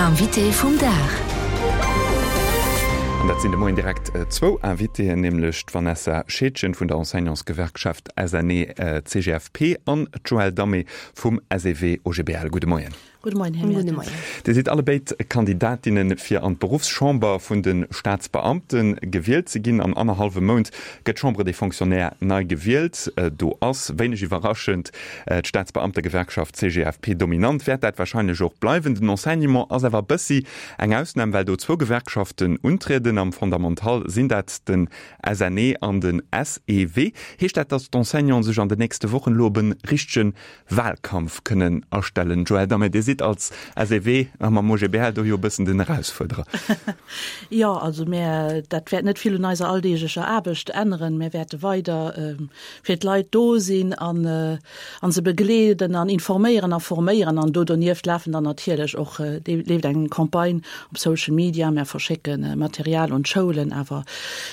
Invité vum Dag. An dat sinn de Moien direkt zwou Invitéen, nämlech d'Vanessa Scheedgen vun der Enseignantsgewerkschaft SNE-CGFP an d'Joëlle Damé vum SEW-OGBL. Gudde Moien. Gudde Moien, Här Mertens. Dir sidd allebéid Kandidatinne fir an d'Beruffschamber vun de Staatsbeamte gewielt ze ginn. An annerhallwem Mount gëtt d'Chambre des Fonctionnaires nei gewielt. Do ass, wéineg iwwerraschend, d'Staatsbeamtegewerkschaft CGFP dominant. Wäert dat warscheinlech och bleiwen. Den Enseignement ass awer e bëssi eng Ausnam, well do zwou Gewerkschaften untrieden. Am Fondamental sinn dat den SNE an den SEW. Heescht dat, datt d'Enseignanten sech an den nächste Wochen elo op e richtege Wahlkampf kënnen astellen. Joëlle Damé, Dir sidd als SEW a mam OGBL do jo e bëssen den Erausfuerderer. Jo, also mär, dat wäert net vill un eiser alldeeglecher Aarbecht änneren. Mär wäerte weider fir d'Leit do sinn an a se begleeden an informéieren a forméieren. An do donieft lafen dann natierlech och, leeft eng Campagne op Social Media. Mär verschécke Material un d'Schoulen, awer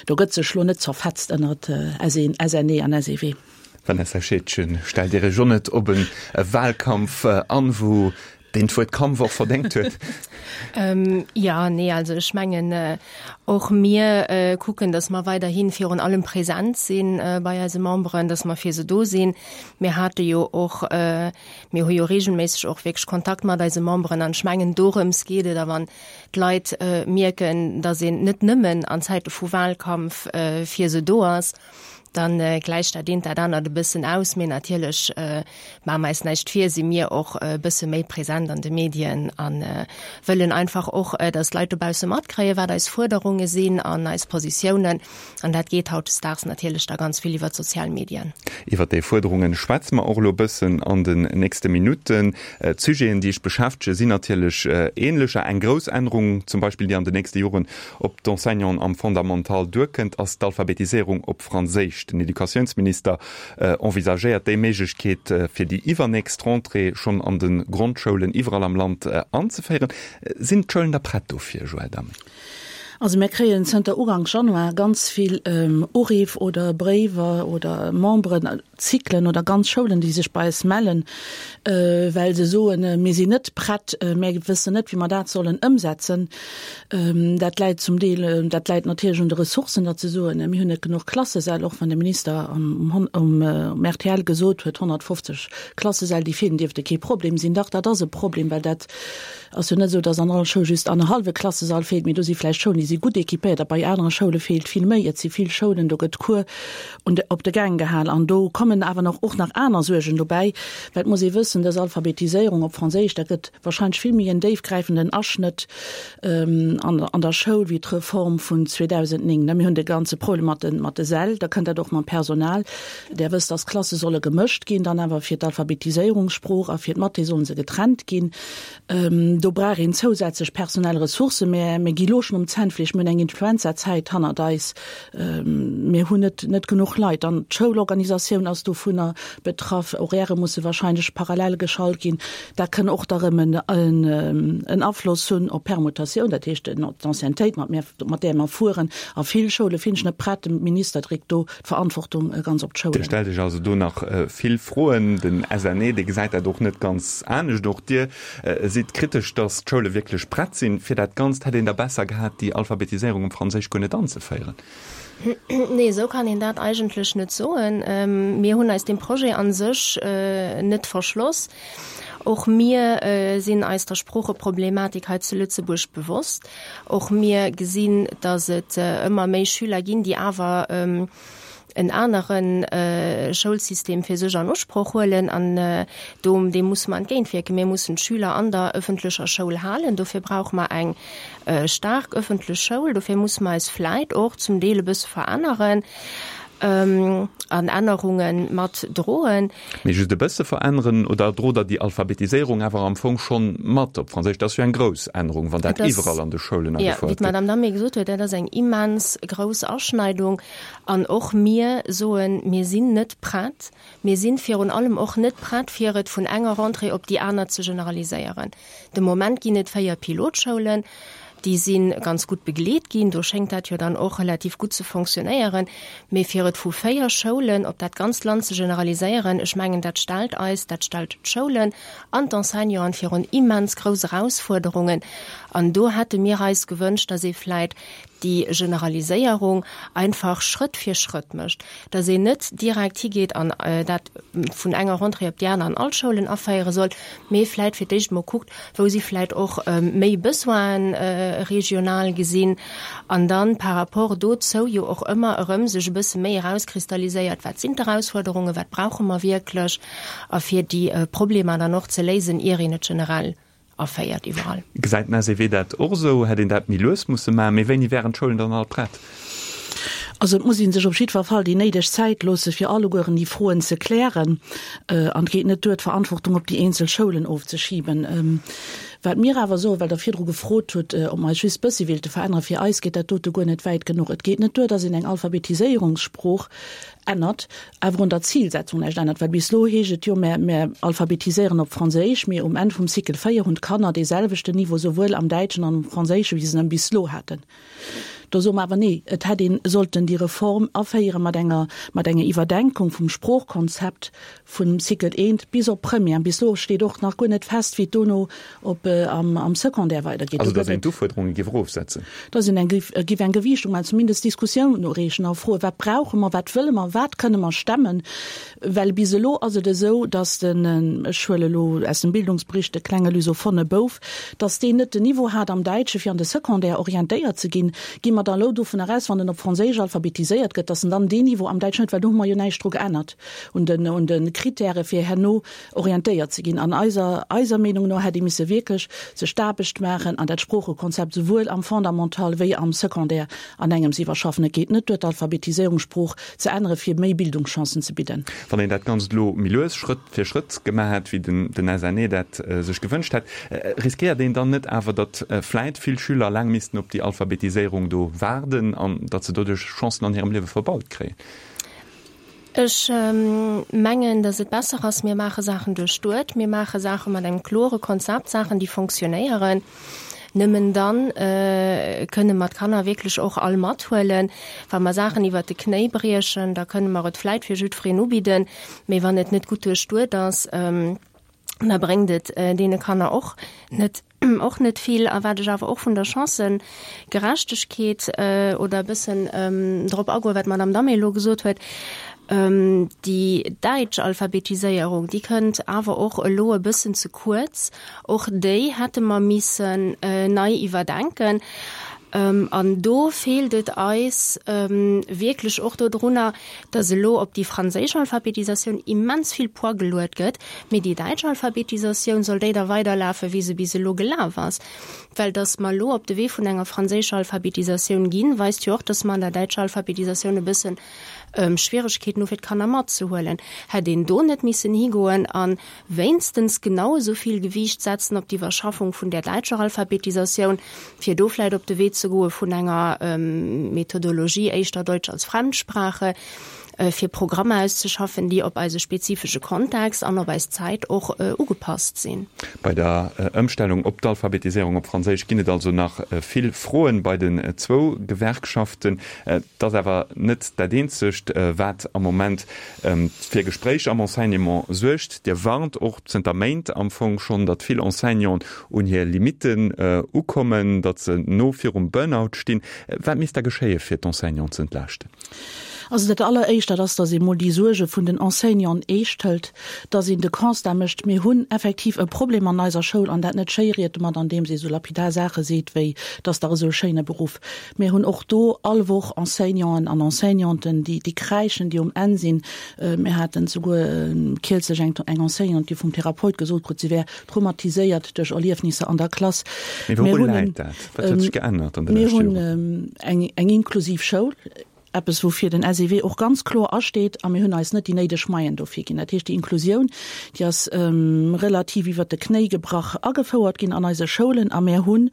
do gëtt sech lo net zerfetzt ënnert SNE an SEW. Vanessa Scheedgen, Stellt Dir Iech och net op e Wahlkampf an, wou deen d'Wuert Kampf och verdéngt huet? Jo, nee, also ech mengen, och mir kucken, datt mer weiderhi virun allem present si bei eise Memberen, datt mer fir se do sinn. Mir hate jo och, mir hu jo regelméisseg och wierklech Kontakt mat eise Memberen an ech mengen, dorëms geet et. A wann d'Leit mierken, datt een net nëmmen an Zäite vu Wahlkampf fir se do ass, Dann gläicht dat eent dat anert e bëssen aus. Mee natierlech, maache mer eis näischt vir, si mir och e bësse méi present an de Medien a wëllen einfach och, datt d'Leit dobausse matkréien, wat eis Fuerderunge sinn an eis Positiounen. An dat geet hautdesdaags natierlech da ganz vill iwwer d'sozial Medien. Iwwer déi Fuerderunge schwätze mer och elo e bëssen an den nächste Minutten. D'Sujeten, déi iech beschäftege sinn natierlech änlecher. Eng grouss Ännerung zum Beispill, déi an den nächste Joren op d'Enseignanten am Fondamental duerkënnt, ass d'Alphabetiséierung op Franséisch. Den Educatiounsminister envisagéiert déi Méiglechkeet fir déi iwwernächst Rentrée schonn an de Grondschoulen iwwerall am Land anzeféieren. Sinn d'Schoulen da prett dofir, Joëlle Damé? Also mir kréien zënter Uganks Januar ganz vill Uriff oder Bréiwer oder Memberen, Cyclen oder ganz Schoulen, déi sech bei eis mellen, well se soen, mir sinn net prett, mir wëssen net, wéi mer dat sollen ëmsetzen. Dat läit zum Deel, dat läit natierlech un de Ressourcen, datt se soen, mir hunn net genuch Klassesäll, och wann de Minister um rtl gesot huet, 150 Klassesäll, déi feelen, dierfte kee Problem sinn. Dach, dat ass e Problem, well dat ass jo net esou, datt an all Schoul just annerhallwe Klassesall feelt, mee do si vläicht Schoulen, déi si gutt équipéiert a bei anere Schoule feelt vill méi. Et si vill Schoulen, do gëtt Cours un de, op de Gäng gehal. An do kommen awer nach och nach aner Suergen dobäi, well et muss ee wëssen, dës Alphabetiséierung op Franséisch, dat gëtt wahrscheinlech vill méi en déifgräifenden Aschnëtt an, an der Schoul wéi d'Reform vun 2009. Mir hunn de ganze Problem mat de, mat de Säll, da kënnt dat och mam Personal. Der wësst, dass d'Klasse solle gemëscht ginn, dann awer fir d'Alphabetiséierungssprooch a fir d'Mathé solle se getrennt ginn. Do brauch een zousätzlech personell Ressourcen. Mä mir gi lo schonn um Zännfleesch. Mir hunn eng Influenzazäit hannert eis. Mir hunn net net genuch Leit. Dann d'Schoulorganisatioun ass dovunner betraff. Horairë musse wahrscheinlech parallel geschalt ginn. Dat kënn och da rëm en en Afloss hunn op d'Permutatioun, dat heescht d'Anciennetéit, mat mir mat där mer fueren. A vill Schoule finn ech net prett. De Minister dréckt do d'Verantwortung ganz op d'Schoulen. Dir stellt Iech also do nach vill Froen. Den SNE, dee gesäit dat och net ganz anescht. Och Dir sidd kritesch, datt d'Schoule wierklech prett sinn fir dat Ganzt. Hätt een da besser gehat, déi Alphabetiséierung um Franséisch guer net anzeféieren? Nee, esou kann een dat eigentlech net soen. Mir hunn eis deem Projet a sech net verschloss. Och mir sinn eis der Sproocheproblematik hei zu Lëtzebuerg bewosst. Och mir gesinn, datt et ëmmer méi Schüler ginn, déi awer en anere Schoulsystem fir sech an Usproch huelen. An do, deem musse mer entgéintwierken. Mir mussen d'Schüler an der ëffentlecher Schoul halen. Dofir brauche mer eng staark ëffentlech Schoul. Dofir musse mer eis vläit och zum Deel e bësse veränneren an Ännerunge mat droen. Mee just e bësse veränneren, oder drot Der déi Alphabetiséierung awer am Fong schonn mat op Franséisch? Dat ass jo eng grouss Ännerung, wann dat iwwerall an de Schoulen agefouert gëtt. Jo, wéi d'Madame Damé gesot huet, dat ass eng immens grouss Aschneidung. An och mir soen, mir sinn net prett. Mir si virun allem och net prett, fir et vun enger Rentrée op déi aner ze generaliséieren. De Moment ginn et 4 Pilotschoulen. Déi si ganz gutt begleet ginn. Do schéngt dat jo dann och relativ gutt ze fonctionnéieren. Mee fir et vu 4 Schoulen op dat ganzt Land ze generaliséieren, ech mengen, dat stellt eis, dat stellt d'Schoulen an d'Enseignanten virun immens grouss Erausfuerderungen. An do hätte mir eis gewënscht, dass ee vläit déi Generaliséierung einfach Schrëtt fir Schrëtt mécht, dass een net direkt higeet an dat vun enger Rentrée op déi aner an all d'Schoulen aféiere soll, mee vläit fir d'éischt emol kuckt, wou si vläit och méi Besoinen regional gesinn an dann par rapport dozou jo och ëmmer erëm sech e bësse méi erauskristalliséiert, wat sinn d'Erausfuerderungen, wat brauche mer wierklech a fir déi Problemer dann och ze léisen, ier een et generell aféiert iwwerall. Gesäit den SEW dat och esou? Hätt een dat méi lues musse maachen? Mee wéini wären d'Schoulen dann all prett? Also et muss ee sech op jiddwer Fall déi néideg Zäit loosse fir allegueren déi Froen ze klären. An et geet net duer, d'Verantwortung op déi eenzel Schoulen ofzeschiben. Wat mir awer soen, well Der virdru gefrot hutt, ob mer eis just bëssi wéilte veränneren, fir eis geet dat dote guer net wäit genuch. Et geet net duer, datt een eng Alphabetiséierungssprooch ännert, awer un der Zilsetzung näischt ännert, well bis elo heescht et jo, mär, mär alphabetiséieren op Franséisch, mee um Enn vum Cycle 4 hunn d'Kanner dee selwechten Niveau souwuel am Däitschen an am Franséischen, wéi se en bis elo haten. Do soe mer awer, nee, et hätt een sollten déi Reform aféiere mat enger, mat enger Iwwerdenkung vum Sproochkonzept vum Cycle I bis op Première. Bis elo steet och nach guer net fest, wéi et dono op am, am Secondaire weidergeet. Also datt een d'Ufuerderunge géif erofsetzen? Datt een eng, géif eng Gewiichtung maachen, zumindest Diskussioun ureegen a froen, wat brauche mer, wat wëlle mer, wat kënne mer stemmen? Well bis elo ass et esou, datt den, ech huele elo aus dem Bildungsbericht de klenge lusophone Bouf, datt deen net den Niveau hat am Däitsche fir an de Secondaire orientéiert ze ginn. Gi mer da elo dovunner aus, wann en op Franséisch alphabetiséiert gëtt, datt en dann deen Niveau am Däitschen huet? Well do hu mer jo näischt dru geännert un den, un de Kritäre fir herno orientéiert ze ginn. An eiser, eiser Meenung no hätt ee misse wierklech sech d'Aarbecht maachen an dat Sproochekonzept souwuel am Fondamental wéi am Secondaire an engems iwwerschaffen. Et geet net duer, d'Alphabetiséierungssprooch ze ännere fir méi Bildungschancen ze bidden. Wann een dat Ganzt elo méi lues, Schrëtt fir Schrëtt gemaach hätt, wéi den SNE dat sech gewënscht hätt, riskéiert een dann net awer, datt vläit vill Schüler laang missten op déi Alphabetiséierung do waarden an datt se doduerch Chancen an hirem Liewe verbaut kréien? Ech mengen, datt et besser ass, mir maache Saachen duerchduet, mir maache Saache mat engem klore Konzept, Saachen, déi fonctionnéieren. Nëmmen dann kënne mer d'Kanner wierklech och all mathuelen. Wa mer Saachen iwwert de Knéi briechen, da kënne mer et vläit fir jiddwereen ubidden, mee wann et net gutt duerchduet ass, da bréngt et deene Kanner och net och net vill. A wat ech awer och vun der Chancëgerechtegkeet oder e bëssen drop agoen, wat d'Madame Damé elo gesot huet, déi däitsch Alphabetiséierung, déi kënnt awer och elo e bëssen ze kuerz. Och déi hätte mer missen nei iwwerdenken. An do feelt et eis wierklech och dodrunner, dass elo op déi franséisch Alphabetisatioun immens vill Poids geluet gëtt, mee déi däitsch Alphabetisatioun, soll déi da weiderlafen, wéi se bis elo gelaf ass? Well dass mer elo op de Wee vun enger franséischer Alphabetisatioun ginn, weist jo och, dass mer an der däitscher Alphabetisatioun e bëssen Schwieregkeeten hu fir d'Kanner matzehuelen. Hätt een do net missen higoen a wéinstens genau esou vill Gewiicht setzen op d'Iwwerschaffung vun där däitscher Alphabetisatioun, fir do vläicht op de Wee ze goe vun enger Methodologie éischter Deutsch als Fremdsprache, fir Programmer auszeschaffen, déi op eise spezifesche Kontext an op eis Zäit och ugepasst sinn. Bei der Ëmstellung op d'Alphabetiséierung op Franséisch ginn et also nach vill Froen bei den zwou Gewerkschaften. Et ass awer net dat eenzegt, wat am Moment fir Gespréich am Enseignement suergt. Dir warnt och zënter Méint am Fong schonn, datt vill Enseignanten un hir Limitten ukommen, datt se no virum Burnout stinn. Wat misst da geschéie fir d'Enseignanten ze entlaaschten? Also dat Alleréischt, dat ass, datt ee mol déi Suerge vun den Enseignanten eescht hëlt, datt een de Constat mécht, mir hunn effektiv e Problem an eiser Schoul an dat net schéiriert domat, andeems ee sou lapidar Saache seet wéi, 't ass dach esou e schéine Beruff. Mir hunn och do all Woch Enseignanten an Enseignanten, déi, déi kräischen, déi um Enn sinn. Mir haten souguer kierzlech eng, eng Enseignante, déi vum Therapeut gesot krut, si wär traumatiséiert duerch Erliefnisser an der Klass. Mee wouru läit dat? Wat huet sech geännert an de leschte Joren? Mir hunn eng, eng inklusiv Schoul, eppes woufir den SEW och ganz kloer asteet, a mir hunn eis net déi néideg Moyen dofir ginn. Dat heescht, déi Inklusioun, déi ass relativ iwwert de Knéi gebrach agefouert ginn an eise Schoulen a mir hunn.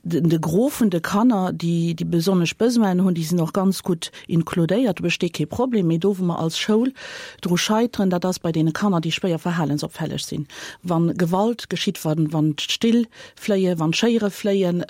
De Gros vun de Kanner, déi déi besonnesch Besoinen hunn, déi sinn och ganz gutt inkludéiert, do besteet kee Problem. Mee do, wou mer als Schoul dru scheiteren, dat ass bei deene Kanner, déi schwéier verhalensopfälleg sinn, wa Gewalt geschitt, wann d'Still fléien, wann d'Schéiere fléien,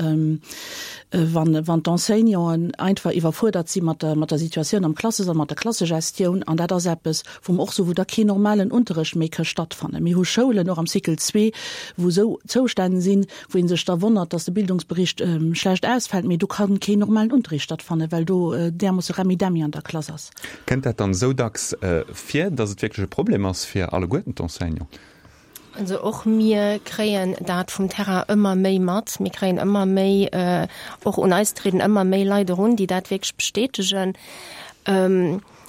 wann wann d'Enseignanten einfach iwwerfuerdert si mat der mat der Situatioun am Klassesall, mat der Klassegestioun. An dat ass eppes, wou mer och soen, wou da keen normalen Unterrecht méi ka stattfannen. Mir hu Schoulen, och am Cycle zwee, wou esou Zoustänn sinn, wou ee sech da wonnert, dass de Bildungsbericht schlecht ausfält, mee do kann keen normalen Unterricht stattfannen, well do därmoosse Remmidemmi an der Klass ass. Kënnt dat dann esou dacks vir, dass et wierklech e Problem ass fir alleguerten d'Enseignanten? Also och mir kréien dat vum Terrain ëmmer méi mat. Mir kréien ëmmer méi, och un eis trieden ëmmer méi Leit erun, déi dat wierklech bestätegen.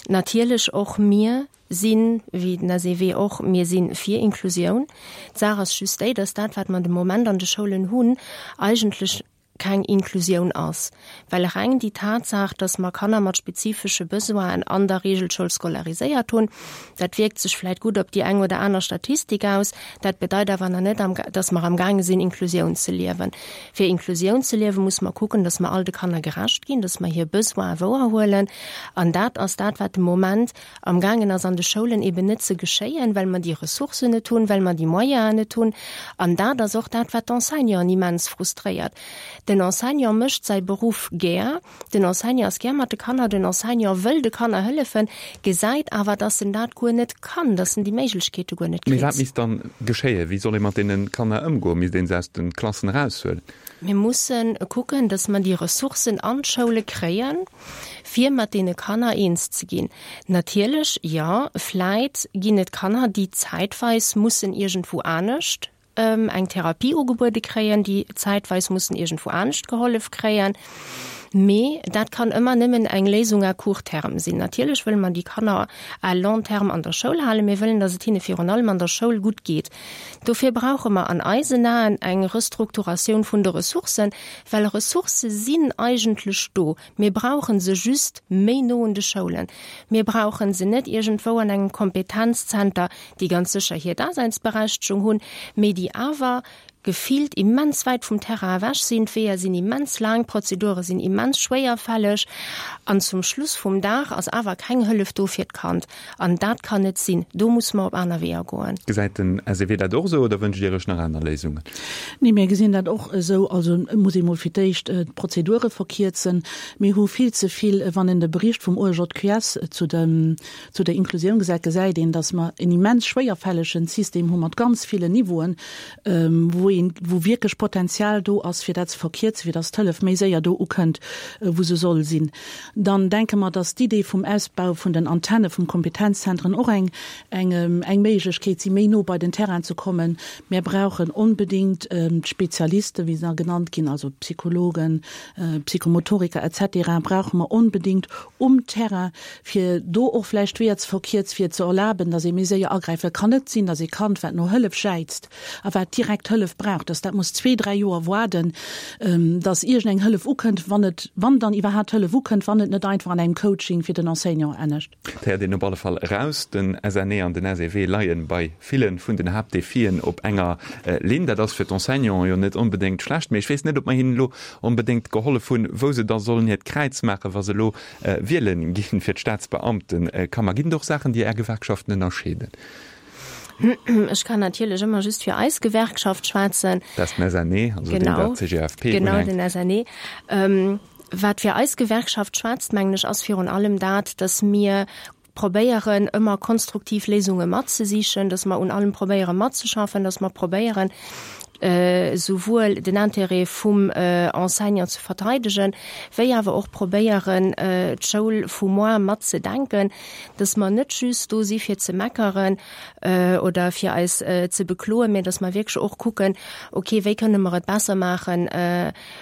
Natierlech och mir sinn, wéi den SEW och, mir si fir Inklusioun. D'Saach ass just déi, dass dat, wat mer de Moment an de Schoulen hunn, eigentlech keng Inklusioun ass, well reng déi Tatsaach, dass mer Kanner mat spezifesche Besoinen an der Regelschoul scolariséiert hunn, dat wierkt sech vläit gutt op déi eng oder aner Statistik aus, dat bedeit awer nach net, dass mer amgaange sinn, Inklusioun ze liewen. Fir Inklusioun ze liewen, muss mer kucken, dass mer all de Kanner gerecht ginn, dass mer hir Besoine wouerhuelen. An dat ass dat, wat de Moment amgaangen ass an de Schoulen eben net ze geschéien, well mer déi Ressourcen net hunn, well mer déi Moyenen net hunn. An dat ass och dat, wat d'Enseignanten immens frustréiert. Den Enseignant mécht säi Beruff gär, den Enseignant ass gär mat de Kanner, den Enseignant wëll de Kanner hëllefen, gesäit awer, dass en dat guer net kann, dass en déi Méiglechkeete guer net kritt. Mee wat misst dann geschéien? Wéi soll ee mat deene Kanner ëmgoen? Misst ee se aus de Klassen eraushuelen? Mir mussen kucken, dass mer déi Ressourcen an d'Schoule kréien, fir mat deene Kanner eens ze ginn. Natierlech, jo, vläit ginn et Kanner, déi zäitweis mussen iergendwou anescht eng Therapie ugebuede kréien, déi zäitweis mussen iergendwou anescht gehollef kréien. Mee dat kann ëmmer nëmmen eng Léisung à court terme sinn. Natierlech wëlle mer déi Kanner à long terme an der Schoul halen. Mir wëllen, dass et hinne virun allem an der Schoul gutt geet. Dofir brauche mer an eisen Aen eng Restrukturatioun vun de Ressourcen, well Ressourcë sinn eigentlech do. Mir brauche se just méi no un de Schoulen. Mir brauche se net iergendwou an engem Kompetenzzenter, déi ganz sécher hir Daseinsberechtegung hunn, mee déi awer gefillt immens wäit vum Terrain ewech sinn. D'Weeër sinn immens laang, d'Prozedure sinn immens schwéierfälleg an zum Schluss vum Dag ass awer keng Hëllef do fir d'Kand. An dat kann net sinn. Do musse mer op aner Weeër goen. Gesäit den SEW dat och esou oder wënscht Dir Iech nach aner Léisungen? Nee, mir gesinn dat och esou. Also et muss ee mol fir d'éischt d'Prozedure verkierzen. Mir hu vill ze vill, wann een de Bericht vum OEJQS zu dem, zu der Inklusioun gesäit, gesäit een, datt mer en immens schwéierfällegen System hu mat ganz villen Niveauen, wou een, wou wierklech Potenzial do ass, fir dat ze verkierzen, fir datt d'Hëllef méi séier do ukënnt, wou se soll sinn. Dann denke mer, dass d'Idee vum Ausbau vun den Antenne vum Kompetenzzentren och eng, eng, eng Méiglechkeet si méi no bei den Terrain ze kommen. Mär brauchen onbedéngt d'Spezialisten, wéi se da genannt ginn, also Psychologen, Psychomotoriker et cetera brauche mer onbedéngt um Terrain, fir do och vläicht d'Weeër ze verkierzen, fir ze erlaben, dass ee méi séier agräift. Et kann net sinn, dass ee Kand, wat no Hëllef jäizt, a wat direkt Hëllef brauch, dass dat muss zwee, dräi Joer waarden, dass iergendeng Hëllef ukënnt, wann et, wann dann iwwerhaapt Hëllef ukënnt, wann et net einfach an engem Coaching fir den Enseignant ennegt. Et héiert een op alle Fall eraus, den SNE an den SEW leie bei ville vun den Haaptdefien op enger Linn. Dat ass fir d'Enseignanten jo net onbedéngt schlecht, mee ech weess net, ob mer hinnen elo onbedéngt gehollef hunn, wou se da sollen hiert Kräiz maachen, wa se elo wiele ginn fir d'Staatsbeamtekammer. Ginn et och Saachen, déi Är Gewerkschaften ënnerscheeden? Ech kann natierlech ëmmer just fir eis Gewerkschaft schwätzen. Dat ass den SNE, also deen der CGFP unhänkt. Genau, den SNE. Wat fir eis Gewerkschaft schwätzt, mengen ech, ass virun allem dat, datt mir probéieren, ëmmer konstruktiv Léisunge matzesichen, datt mer un allem probéiere matzeschaffen, datt mer probéieren, souwuel den Intérêt vum Enseignant ze verteidegen, wéi awer och probéieren, d'Schoul vu moar matzedenken, dass mer net just do si fir ze meckeren oder fir eis ze bekloen, mä dass mer wierklech och kucken, okay, wéi kënne mer et besser maachen,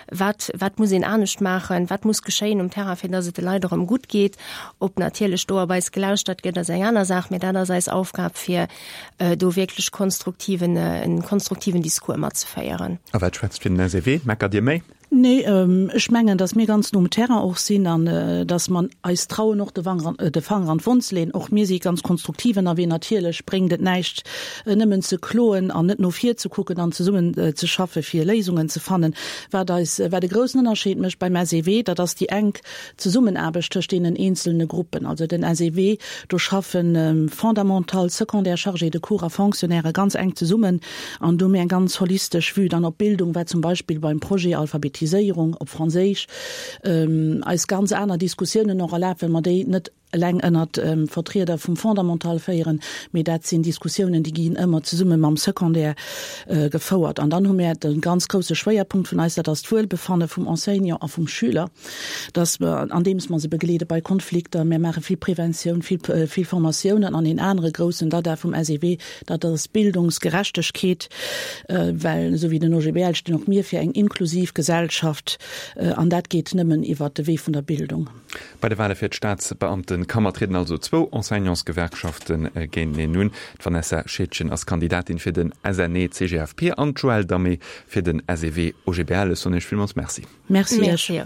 wat, wat muss een anescht maachen, wat muss geschéien um Terrain, fir dass et de Leit erëm gutt geet. Ob natierlech do op eis gelauschtert gëtt, ass eng aner Saach, mä dat ass eis Aufgab, fir do wierklech konstruktiven, en konstruktiven Discours matzeféieren. A wat schwätzt fir den SEW? Meckert Dir méi? Nee, ech mengen, datt mir ganz no um Terrain och sinn an datt mer eis trauen, och de Fanger an d'Wonn ze leeën. Och mir si ganz konstruktiv ënnerwee. Natierlech bréngt et näischt, nëmmen ze kloen an net no vir ze kucken an zesummen ze schaffe fir Léisungen ze fannen. Wat eis, wat e groussen Ënnerscheed mécht beim SEW, dat ass déi enk Zesummenaarbecht tëscht deenen eenzelne Gruppen. Also den SEW, do schaffen Fondamental, Secondaire, Chargés de cours a Fonctionnairë ganz enk zesummen an do hu mir eng ganz holistesch Vue dann op d'Bildung, wat zum Beispill beim Projet Alphabetiséierung op Franséisch eis ganz aner Diskussiounen och erlaabt, well mer déi net eleng ënnert Vertrieder vum Fondamental féieren, mee dat sinn Diskussiounen, déi ginn ëmmer zesumme mam Secondaire gefouert. An dann hu mir de ganz grousse Schwéierpunkt vun eis, dat ass d'Wuelbefanne vum Enseignant a vum Schüler, dass mer, andeems mer se begleede bei Konflikter, mir maache vill Preventioun, vill, vill Formatiounen. An een anere groussen Dada vum SEW, dat ass d'Bildungsgerechtegkeet, well esou wéi den OGBL stinn och mir fir eng inklusiv Gesellschaft an dat geet nëmmen iwwert de Wee vun der Bildung. Bei de Wale fir d'Staatsbeamtekammer trieden also zwou Enseignantsgewerkschafte géinteneen un. D'Vanessa Scheedgen ass Kandidatin fir den SNE-CGFP an d'Joëlle Damé fir den SEW-OGBL. Ech soen Iech villmools Merci. Merci Iech.